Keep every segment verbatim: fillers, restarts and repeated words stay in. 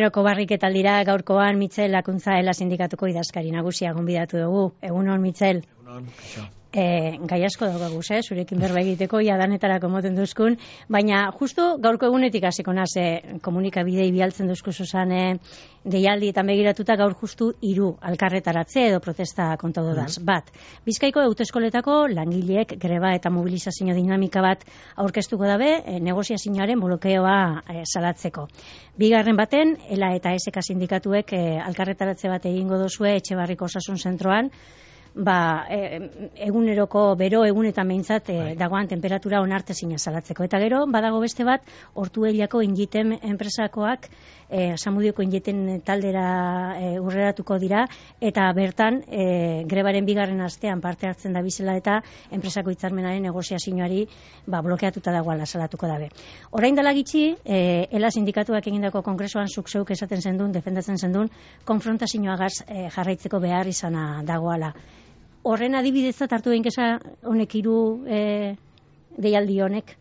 Eguneroko barriketaldira gaurkoan Mitxel Lakuntza Ela Sindikatuko idazkari nagusia gonbidatu dugu. Egunon, Mitxel. Egunon, E, gai asko daugaguz, eh? Zurekin berba egiteko, ja danetarako moten duzkun, baina justu gaurko egunetik hasiko naz, eh, komunikabidei bialtzen duzku zuzan eh, deialdi eta begiratuta gaur justu hiru alkarretaratze edo protesta konta dodaz. Mm-hmm. Bat, Bizkaiko autoeskoletako langileek greba eta mobilizazio dinamika bat aurkeztuko dabe, eh, negoziazioaren blokeoa eh, salatzeko. Bigarren baten, Ela eta S K sindikatuek eh, alkarretaratze bat egingo dozue Etxebarriko Osasun Zentroan, ba, e, eguneroko bero egunetan behintzat e, dagoan temperatura onartezina salatzeko. Eta gero, badago beste bat, Ortuellako Ingiten enpresakoak, e, Samudioko Ingiten taldera e, urreratuko dira, eta bertan, e, grebaren bigarren astean parte hartzen da bizela eta enpresako hitzarmenaren negoziazioari ba, blokeatuta dagoala salatuko dabe. Orain dela gitxi, e, Ela sindikatuak egindako kongresoan zuk zeuk esaten zendun, defendatzen zendun, konfrontazioagaz e, jarraitzeko behar izana dagoala. Horren adibidezat hartu behin kesa honek hiru e, deialdi honek?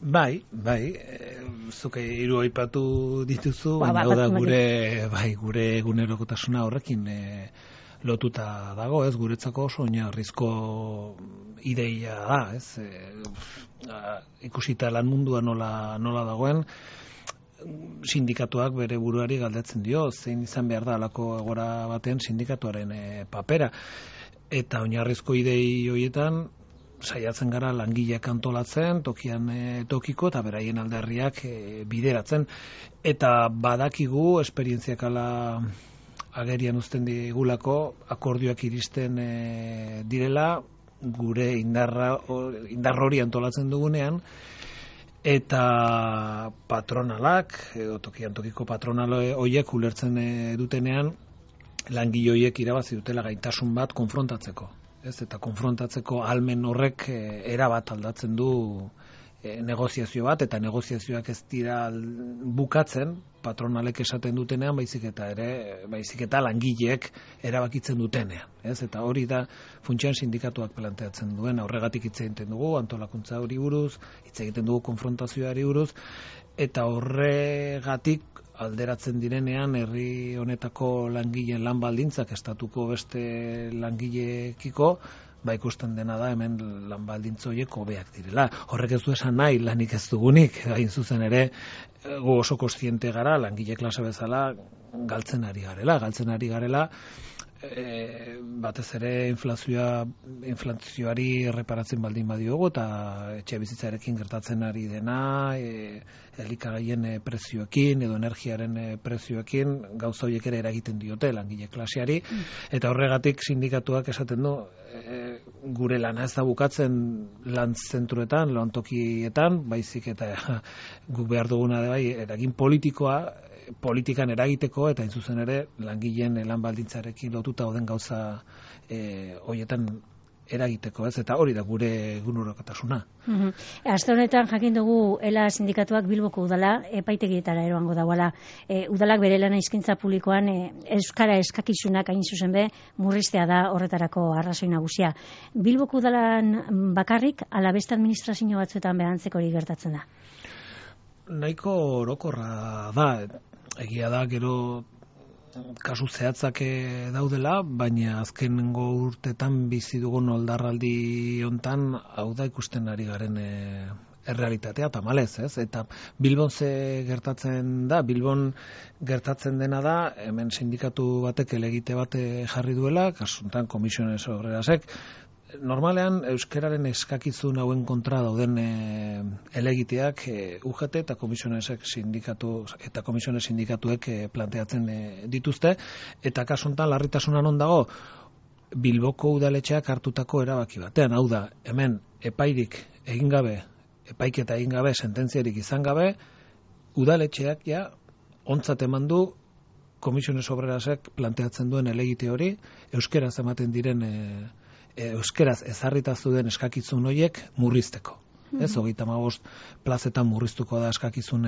Bai, bai, e, zuke hiru aipatu dituzu, ba, baina ba, da gure, bai, gure egunerokotasuna horrekin e, lotuta dago, ez, guretzako oso oinarrizko ideia da, ez, e, a, ikusita lan mundua nola, nola dagoen, sindikatuak bere buruari galdetzen dio, zein izan behar da alako egora baten sindikatuaren e, papera. Eta oinarrizko idei horietan saiatzen gara langileak antolatzen, tokian e, tokiko eta beraien alderriak e, bideratzen. Eta badakigu esperientziak ala agerian uzten digulako akordioak iristen e, direla gure indarra, indar hori antolatzen dugunean, eta patronalak, edo tokian tokiko patronal horiek ulertzen e, dutenean, langile horiek irabazi dutela gaitasun bat konfrontatzeko. Ez? Eta konfrontatzeko ahalmen horrek e, erabat aldatzen du e, negoziazio bat, eta negoziazioak ez dira bukatzen, patronalek esaten dutenean, baizik eta ere, baizik eta langileek erabakitzen dutenean. Ez? Eta hori da funtsian sindikatuak planteatzen duen, horregatik hitz egiten dugu, antolakuntza hori buruz, hitz egiten dugu konfrontazioari buruz, eta horregatik alderatzen direnean herri honetako langileen lan baldintzak estatuko beste langileekiko, ba ikusten dena da hemen lan baldintza horiek hobeak direla. Horrek ez du esan nahi lanik ez dugunik, hain zuzen ere gu oso kontziente gara langile klase bezala galtzen ari garela, galtzen ari garela E, batez ere inflazioa inflazioari erreparatzen baldin badiogu eta etxe bizitzarekin gertatzen ari dena e, elikagaien e, prezioekin edo energiaren e, prezioekin gauza horiek ere eragiten diote langile klaseari eta horregatik sindikatuak esaten du e, gure lana ez da bukatzen lan zentruetan, lantokietan, baizik eta ja, gu behar duguna da bai eragin politikoa politikan eragiteko eta hain zuzen ere langileen lan baldintzarekin lotuta dauden gauza e, horietan eragiteko, ez? Eta hori da gure egunerokotasuna. Mm-hmm. Aste honetan jakin dugu Ela sindikatuak Bilboko udala epaitegietara eroango dagoela. E, udalak bere lana hizkuntza publikoan e, euskara eskakizunak hain zuzen be murriztea da horretarako arrazoi nagusia. Bilboko udalan bakarrik ala beste administrazio batzuetan behantzeko hori gertatzen da. Nahiko orokorra da, egia da gero kasu zehatzak daudela, baina azkenengo urtetan bizi dugun oldarraldi hontan hau da ikusten ari garen e, errealitatea tamalez, ez? Eta Bilbon ze gertatzen da, Bilbon gertatzen dena da, hemen sindikatu batek elegite bat jarri duela, kasuntan Komisiones Obrerasek, normalean euskararen eskakizun hauen kontra dauden e, elegiteak e, U G T eta Komisionesek sindikatu eta Komisiones sindikatuek e, planteatzen e, dituzte eta kasu honetan larritasuna non dago Bilboko udaletxeak hartutako erabaki batean, hau da, hemen epairik egin gabe, epaiketa egin gabe, sententziarik izan gabe, udaletxeak ja ontzat eman du Komisiones Obrerasek planteatzen duen elegite hori, euskeraz ematen diren e, euskeraz ezarrita zuen eskakizun horiek murrizteko. Mm-hmm. Ez, hogeita hamabost plazetan murriztuko da eskakizun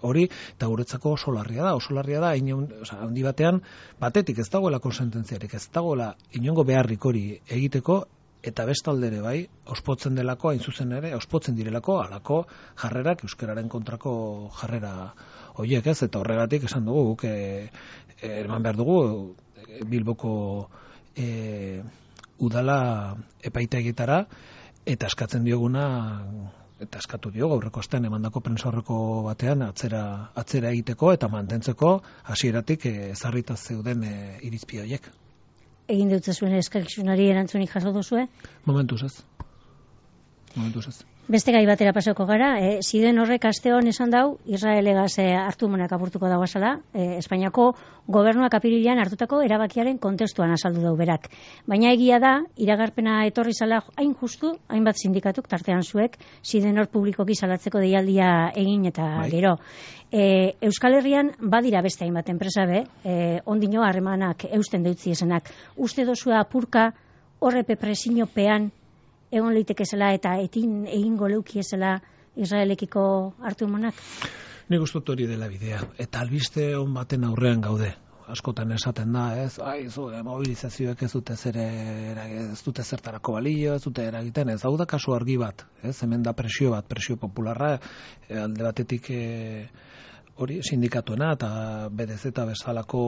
hori, eta guretzako oso larria da, oso larria da, inon, oza, handi batean, batetik ez dagoela konsententziarik, ez dagoela inongo beharrik hori egiteko, eta bestalde ere bai, ospotzen delako, hain zuzen ere, ospotzen direlako, alako jarrerak, euskararen kontrako jarrera horiek ez, eta horregatik esan dugu, guk e, eman behar dugu, Bilboko e, udala epaitegietara, eta eskatzen dioguna, eta eskatu diogu aurreko astean emandako prentsa aurreko batean atzera, atzera egiteko eta mantentzeko hasieratik ezarrita zeuden e, irizpide horiek. Egin dutze zuen eskakizunari erantzunik jaso duzue? Momentuz ez. Momentuz ez. Beste gai batera pasako gara, e, ziden horrek aste hon esan dau, Israelegaz e, hartu monak apurtuko dagoazala, e, Espainiako gobernuak apirilean hartutako erabakiaren kontestuan azaldu dau berak. Baina egia da, iragarpena etorri zala hain justu, hainbat sindikatuk tartean zuek, ziden hor publikoki salatzeko deialdia egin eta bai. Gero. E, Euskal Herrian badira beste hainbat enpresa be, e, ondino harremanak eusten deutzi esenak. Uste dozua apurka horrepe presiniopean egon leitekezela eta etin egingo leukiezela Israelekiko hartu monak? Nik uste hori dela bidea. Eta albiste on baten aurrean gaude. Askotan esaten da, ez, ai, zu, mobilizazioek ez dute zer ez dute zertarako balio, ez dute eragiten, ez hau da kasu argi bat, ez, hemen da presio bat, presio popularra, e, alde batetik e, hori sindikatuena eta B D Z bezalako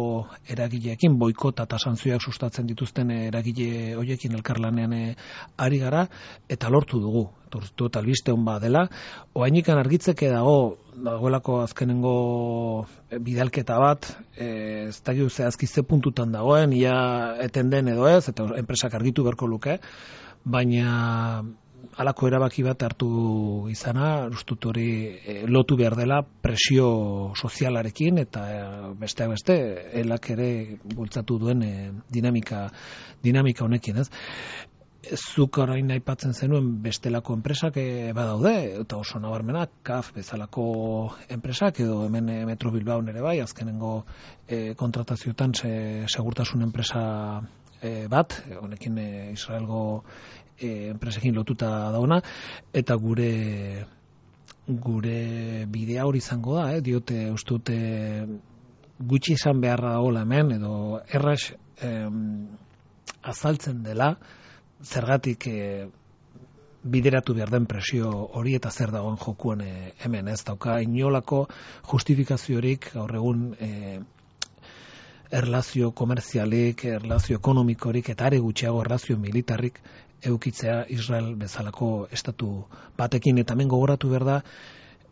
eragileekin boikota eta santzioak sustatzen dituzten eragile horiekin elkarlanean ari gara eta lortu dugu. Tortu eta albiste on dela. Oainikan argitzeke dago dagoelako azkenengo bidalketa bat, e, ez dakigu zehazki ze puntutan dagoen, ia eten den edo ez, eta enpresak argitu beharko luke, baina halako erabaki bat hartu izana, ustut hori e, lotu behar dela presio sozialarekin eta e, besteak beste elak ere bultzatu duen e, dinamika dinamika honekin, ez? Zuk orain aipatzen zenuen bestelako enpresak e, badaude, eta oso nabarmenak, K A F bezalako enpresak, edo hemen e, Metro Bilbao ere bai, azkenengo e, kontratazioetan se, segurtasun enpresa e, bat, honekin e, Israelgo e, enpresekin lotuta dauna, eta gure gure bidea hori izango da, eh? Diote ustute gutxi izan beharra dagoela hemen, edo erraz eh, azaltzen dela, zergatik e, bideratu behar den presio hori eta zer dagoen jokuan e, hemen, ez dauka inolako justifikaziorik gaur egun e, erlazio komerzialik, erlazio ekonomikorik eta are gutxiago erlazio militarrik eukitzea Israel bezalako estatu batekin, eta hemen gogoratu behar da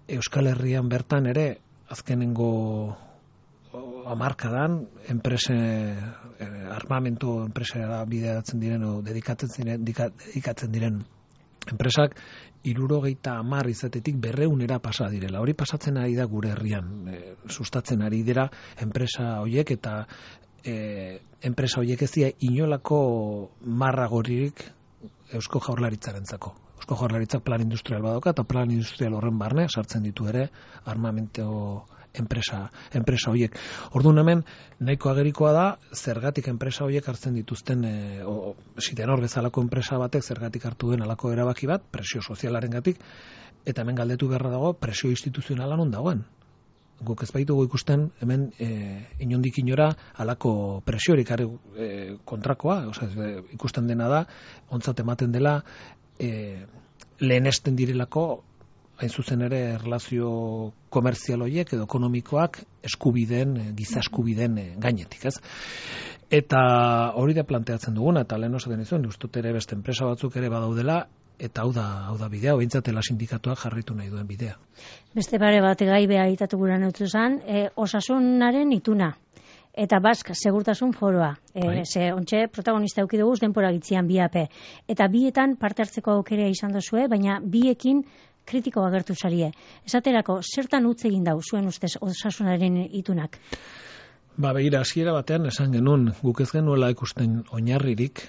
Euskal Herrian bertan ere azkenengo hamarkadan enprese eh, armamento enpresara bideratzen diren o dedikatzen diren dedikatzen diren enpresak hirurogeita hamar izatetik berrehunera pasa direla. Hori pasatzen ari da gure herrian, e, sustatzen ari dira enpresa horiek eta e, enpresa horiek ez dira inolako marragoririk Eusko Jaurlaritzarentzako. Eusko Jaurlaritzak plan industrial badoka eta plan industrial horren barne sartzen ditu ere armamento enpresa enpresa horiek. Orduan hemen nahiko agerikoa da zergatik enpresa horiek hartzen dituzten e, o, Sidenor bezalako enpresa batek zergatik hartu den halako erabaki bat presio sozialarengatik, eta hemen galdetu beharra dago presio instituzionala non dagoen. Guk ez baitugu ikusten hemen e, inondik inora halako presiorik e, kontrakoa, osea e, ikusten dena da ontzat ematen dela e, lehenesten direlako hain zuzen ere erlazio komerzial horiek edo ekonomikoak eskubideen, giza eskubideen gainetik, ez? Eta hori da planteatzen duguna, eta lehen osaten izuen, ustut ere beste enpresa batzuk ere badaudela, eta hau da, hau da bidea, behintzatela sindikatuak jarritu nahi duen bidea. Beste pare bat gai beha itatu gura neutzu zen, e, osasunaren ituna. Eta Bask segurtasun foroa. E, ze ontxe protagonista eduki dugu denpora gitzian bi A P. Eta bietan parte hartzeko aukera izan dozue, baina biekin kritiko agertu zarie. Esaterako, zertan utz egin dau zuen ustez osasunaren itunak? Ba, begira, hasiera batean esan genuen, guk ez genuela ikusten oinarririk,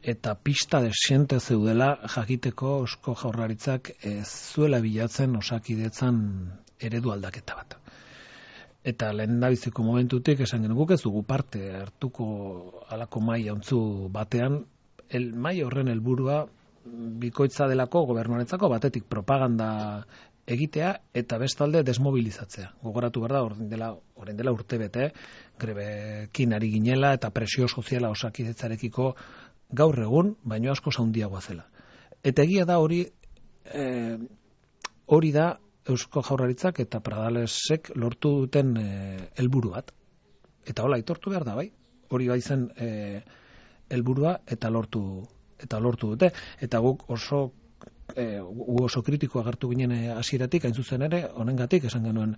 eta pista desiente zeudela jakiteko Eusko Jaurlaritzak ez zuela bilatzen osakidetzan eredu aldaketa bat. Eta lehen dabiziko momentutik esan genuen, guk ez dugu parte hartuko halako maila ontzu batean, el maila horren helburua bikoitza delako gobernuarentzako batetik propaganda egitea eta bestalde desmobilizatzea. Gogoratu behar da, orain dela, orain dela urte bete, grebekin ari ginela eta presio soziala osakidetzarekiko gaur egun, baino asko handiagoa zela. Eta egia da hori, e, hori da Eusko Jaurlaritzak eta Pradalesek lortu duten helburu bat. Eta hola, aitortu behar da, bai? Hori bai zen helburua eta lortu eta lortu dute. Eta guk oso e, oso kritiko agertu ginen hasieratik, hain zuzen ere, honengatik esan genuen,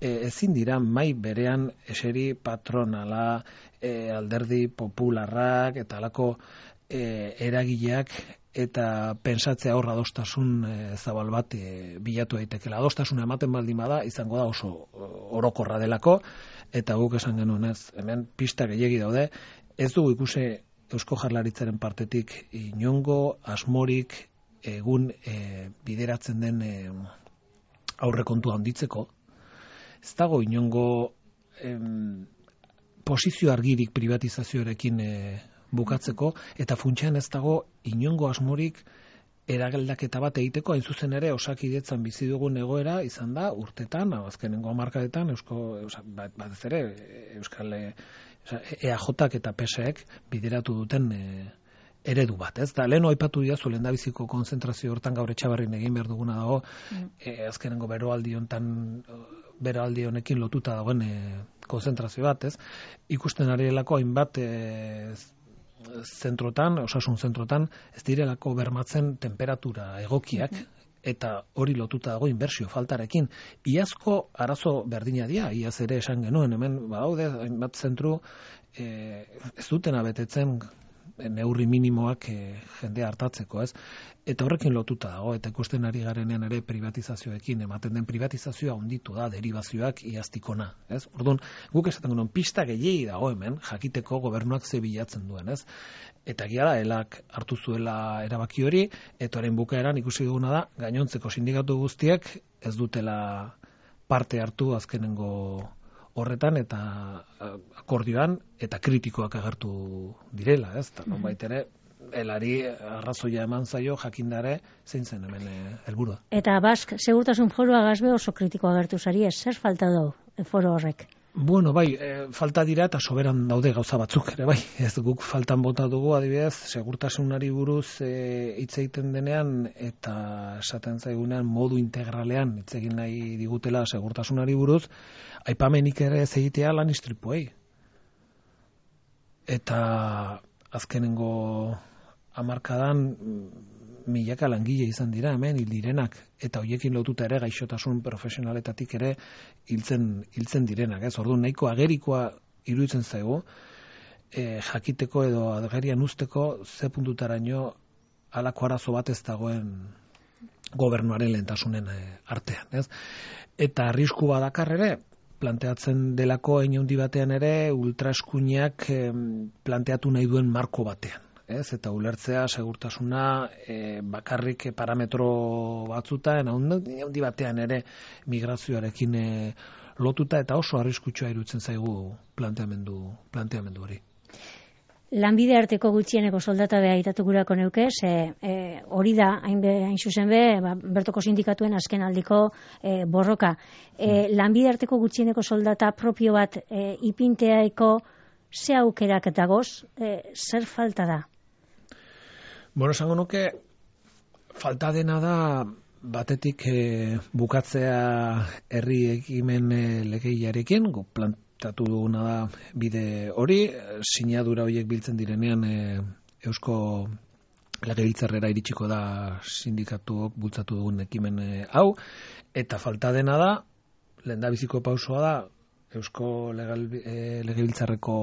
e, ezin dira mai berean eseri patronala, e, alderdi popularrak eta halako e, eragileak eta pentsatzea hor adostasun e, zabal bat e, bilatu daitekela. Adostasuna ematen baldin bada, izango da oso orokorra delako, eta guk esan genuen ez, hemen pista gehiegi daude, ez dugu ikusi Eusko Jaurlaritzaren partetik inongo asmorik egun e, bideratzen den e, aurrekontua handitzeko, ez dago inongo em, posizio argirik privatizazioarekin e, bukatzeko, eta funtsean ez dago inongo asmorik eragaldaketa bat egiteko, hain zuzen ere Osakidetzan bizi dugun egoera izan da urtetan, azkenengo hamarkadetan Eusko batez ere Euskal E A J eta P S ek bideratu duten e, eredu bat, ez? Da leno aipatu diazu lehendabiziko konzentrazio hortan gaur Etxabarrin egin behar duguna dago, mm. e, azkenengo beroaldi hontan beroaldi honekin lotuta dagoen e, konzentrazio bat, ez? Ikusten arielako hainbat e, zentrotan, osasun zentrotan, ez direlako bermatzen temperatura egokiak, mm-hmm. eta hori lotuta dago inbertsio faltarekin. Iazko arazo berdina dira, iaz ere esan genuen, hemen badaude hainbat zentru e, ez dutena betetzen neurri minimoak e, jendea hartatzeko, ez? Eta horrekin lotuta dago, eta ikusten ari garenean ere privatizazioekin, ematen den privatizazioa handitu da, derivazioak iaztikona, ez? Orduan, guk esaten genuen pista gehiegi dago hemen, jakiteko gobernuak ze bilatzen duen, ez? Eta gira da, elak hartu zuela erabaki hori, eta orain bukaeran ikusi duguna da, gainontzeko sindikatu guztiek ez dutela parte hartu azkenengo horretan eta akordioan eta kritikoak agertu direla, ez? Eta nonbait ere, elari arrazoia eman zaio jakindare zein zen hemen helburua. Eta Bask, segurtasun foroa gazbe oso kritiko agertu zari, ez zer falta du foro horrek? Bueno, bai, e, falta dira eta soberan daude gauza batzuk ere, bai. Ez guk faltan bota dugu, adibidez, segurtasunari buruz e, hitz egiten denean eta esaten zaigunean modu integralean hitz egin nahi digutela segurtasunari buruz, aipamenik ere ez egitea lan istripuei. Eta azkenengo hamarkadan milaka langile izan dira hemen hil direnak, eta hoiekin lotuta ere gaixotasun profesionaletatik ere hiltzen hiltzen direnak, ez? Orduan nahiko agerikoa iruditzen zaigu, e, jakiteko edo agerian usteko ze puntutaraino halako arazo bat ez dagoen gobernuaren lehentasunen artean, ez? Eta arrisku badakar ere, planteatzen delako hein handi batean ere ultraeskuinak e, planteatu nahi duen marko batean. Ez, eta ulertzea segurtasuna e, bakarrik parametro batzutan, handi batean ere migrazioarekin e, lotuta eta oso arriskutsua iruditzen zaigu planteamendu, planteamendu hori. Lanbide arteko gutxieneko soldata beha itatukurako neuke, ze e, hori da, hain, be, hain zuzen be, ba, bertoko sindikatuen azken aldiko e, borroka. E, lanbide arteko gutxieneko soldata propio bat e, ipinteaeko ze aukerak dagoz, e, zer falta da? Bueno, esango nuke, falta dena da batetik e, bukatzea herri ekimen e, legeiarekin, gu plantatu duguna da bide hori, sinadura horiek biltzen direnean e, Eusko Legebiltzarrera iritsiko da sindikatuok bultzatu dugun ekimen e, hau, eta falta dena da, lehendabiziko pausoa da, Eusko Legal, e, Legebiltzarreko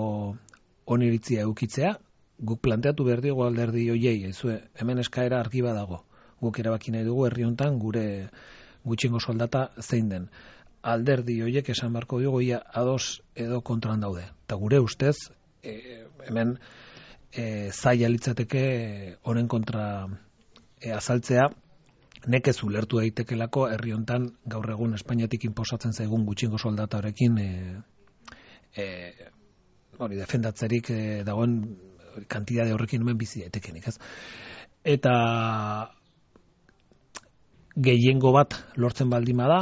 oniritzia eukitzea, guk planteatu behar digu alderdi hoiei, ezue, hemen eskaera argi badago. Guk erabaki nahi dugu herri hontan gure gutxiengo soldata zein den. Alderdi hoiek esan beharko dugu ia ados edo kontran daude. Eta gure ustez, e, hemen e, zaila litzateke honen kontra e, azaltzea, nekez ulertu daitekelako herri hontan gaur egun Espainiatik inposatzen zaigun gutxiengo soldata horrekin e, e, hori defendatzerik e, dagoen kantidade horrekin hemen bizi daitekenik, ez? Eta gehiengo bat lortzen baldin bada,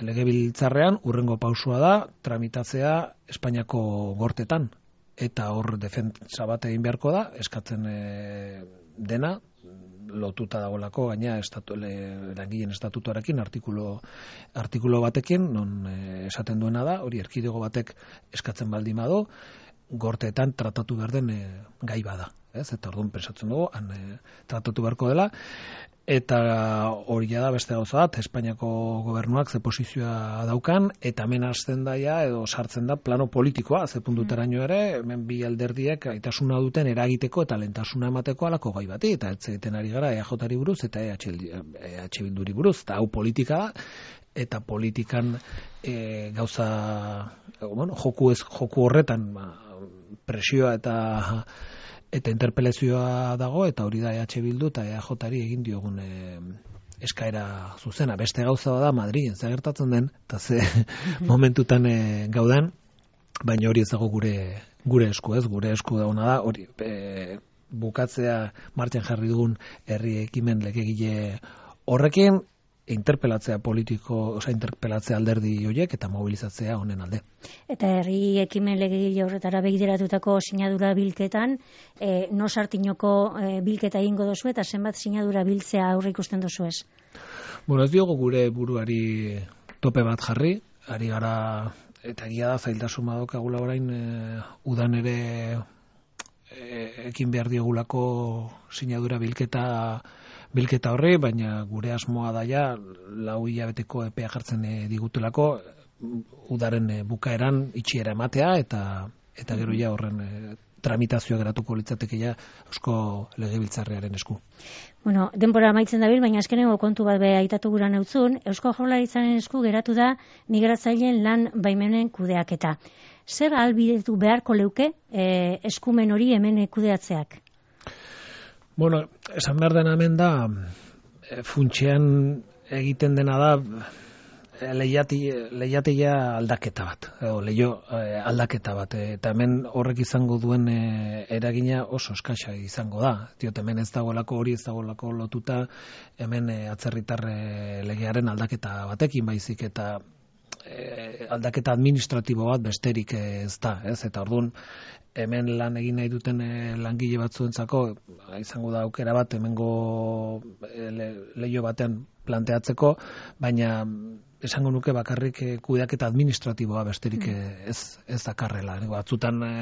Legebiltzarrean urrengo pausua da tramitatzea Espainiako gortetan. eta hor defentsa bat egin beharko da, eskatzen e, dena, lotuta dagoelako gaina estatu, le, langileen estatutoarekin artikulu, artikulu batekin, non e, esaten duena da, hori erkidego batek eskatzen baldin badu, gorteetan tratatu behar den e, gai bada. Ez? Eta orduan pensatzen dugu, han e, tratatu beharko dela, eta hori da beste gauza bat, Espainiako gobernuak ze posizioa daukan, eta hemen hasten daia, edo sartzen da plano politikoa, ze puntuteraino ere, hemen bi alderdiek aitasuna duten eragiteko eta lentasuna emateko alako gai bati, eta ez egiten ari gara E A Jari buruz eta E H Bilduri buruz, eta hau politika da, eta politikan e, gauza, bueno, joku, ez, joku horretan ba, presioa eta eta interpelazioa dago, eta hori da E H Bildu eta E A Jari egin diogun e, eskaera zuzena. Beste gauza da Madrilen zer gertatzen den, eta ze momentutan e, gaudan, baina hori ez dago gure gure esku, ez, gure esku dauna da, hori e, bukatzea martxan jarri dugun herri ekimen legegile horrekin, interpelatzea politiko, oza, interpelatzea alderdi horiek eta mobilizatzea honen alde. Eta herri ekimen legegile horretara begiratutako sinadura bilketan, e, no sartinoko e, bilketa egingo dozu eta zenbat sinadura biltzea aurre ikusten dozu ez? Bueno, ez diogu gure buruari tope bat jarri, ari gara, eta egia da zailtasun badokagula orain, e, udan ere e, ekin behar diogulako sinadura bilketa bilketa horri, baina gure asmoa daia lau hilabeteko epea jartzen e, digutelako udaren e, bukaeran itxiera ematea eta eta gero ja horren e, tramitazioa geratuko litzateke ja Eusko Legebiltzarrearen esku. Bueno, denbora amaitzen dabil, baina azkeneko kontu bat be aitatu gura neutzun, Eusko Jaurlaritzaren esku geratu da migratzaileen lan baimenen kudeaketa. Zer ahalbidetu beharko leuke e, eskumen hori hemen kudeatzeak? Bueno, esan behar dena hemen da, e, funtsean egiten dena da e, lehiatia aldaketa bat, edo leio e, aldaketa bat, e, eta hemen horrek izango duen e, eragina oso eskasa izango da. Diot, hemen ez dagoelako hori, ez dagoelako lotuta, hemen e, atzerritar e, legearen aldaketa batekin baizik, eta e, aldaketa administratibo bat besterik ez da, ez? Eta orduan, hemen lan egin nahi duten e, langile batzuentzako izango da aukera bat hemengo e, le, leio batean planteatzeko, baina esango nuke bakarrik e, kudeaketa administratiboa besterik e, ez, ez dakarrela. Batzutan e,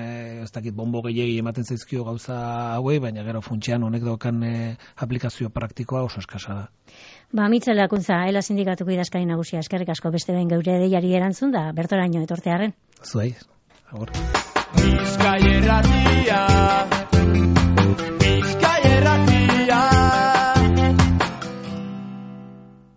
ez dakit bombo gehiegi ematen zaizkio gauza hauei, baina gero funtsean honek daukan e, aplikazio praktikoa oso eskasa da. Ba, Mitxel Lakuntza, Ela Sindikatuko idazkari nagusia, eskerrik asko beste behin geure deiari erantzun da, bertoraino etortearren. Zuei, agur. Bizkaia irratia